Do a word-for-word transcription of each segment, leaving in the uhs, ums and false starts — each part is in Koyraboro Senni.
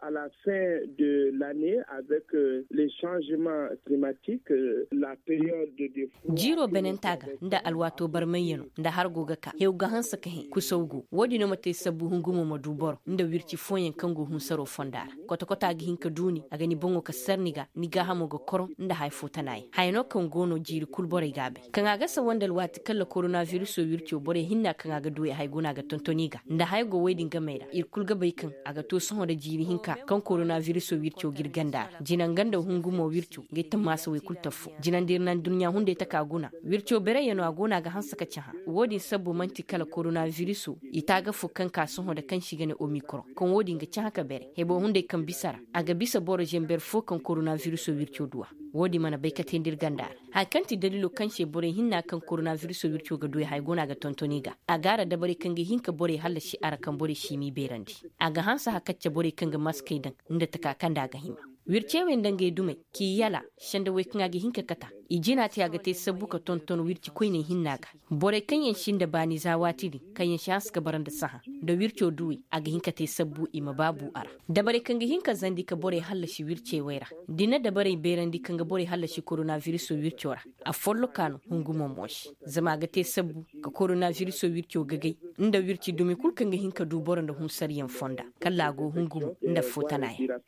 à la fin de l'année avec les changements climatiques, la période de jiiro benenta ga nda alwaato barmayyano nda har go ga ka hew ga hanse ka hẽ kusaw go wo-din no ma te sabbu hungumo ma du boro nda wirci fooyaŋ kaŋ go hunsaro fonda ra. Kotokoto a ga hin ka duuni a ga ni boŋo ka sar ni ga ni gaahamo ga koroŋ nda haya fo tana yaŋ haya no kaŋ go no jiiri kul borey ga a bay kaŋ a ga sawa nda alwaati kaŋ la koronabiriso wirco borey hinna kaŋ a ga duwey haya go no a ga tonton i ga nda haya go wey din gamey ra ir kul ga bay kaŋ a ga to sohõ nda jiiri hinka kaŋ koronabiriso wirco ga ir ganda ra jina nga nda hungumo wirco ga ay tammaasa wey kul taffo jina nda ir na adduɲɲa hunday taka guna wirco bereyaŋo a go no a ga hanse ka cahã. Wo-din sabbu man'ti kala koronabiriso i taaga fo kaŋ ka sohõ nda kaŋ se i ga ne omikron kaŋ wo-din ga cahã ka bere hebo hunday kaŋ bisa ra a ga bisa boro zamber fo kaŋ koronabiriso wirco du a. Wo-din mana bay kate nda ir ganda ra haya kaŋ ti daliilo kaŋ se borey hinna kaŋ koronabiriso wirco ga du ay haya go no a ga tonton i ga a ga a ra dabarey kaŋ ga hin ka borey hallasi a ra kaŋ borey si m'i beerandi. A ga hanse hakacce borey kaŋ ga maskey daŋ nda taka kaŋ nda a ga hima wircey wey nda ngey dumey k'i yala sanda wey kaŋ a ga hin ka kata i jina te a ga te sabbu ka tonton wirci koyney hinna ga. Borey kaŋ yaŋ sinda baani za waati din kaŋ yaŋ si hanse ka bara nda sahã nda wirco duwey a ga hin ka te sabbu i ma baa bu a ra. Dabarey kaŋ ga hin ka zandi ka borey hallasi wircey wey ra da i na dabarey beerandi kaŋ ga borey hallasi koronabiriso wirco ra. A folloka no hungumo mo se zama a ga te sabbu ka koronabiriso wirco gagay nda wirci dumi kul kaŋ ga hin ka du boro nda hunsariyaŋ fonda kala a go hungumo nda fo tana yaŋ.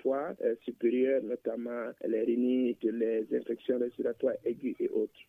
Supérieur notamment les rhinites les infections respiratoires aiguës et autres.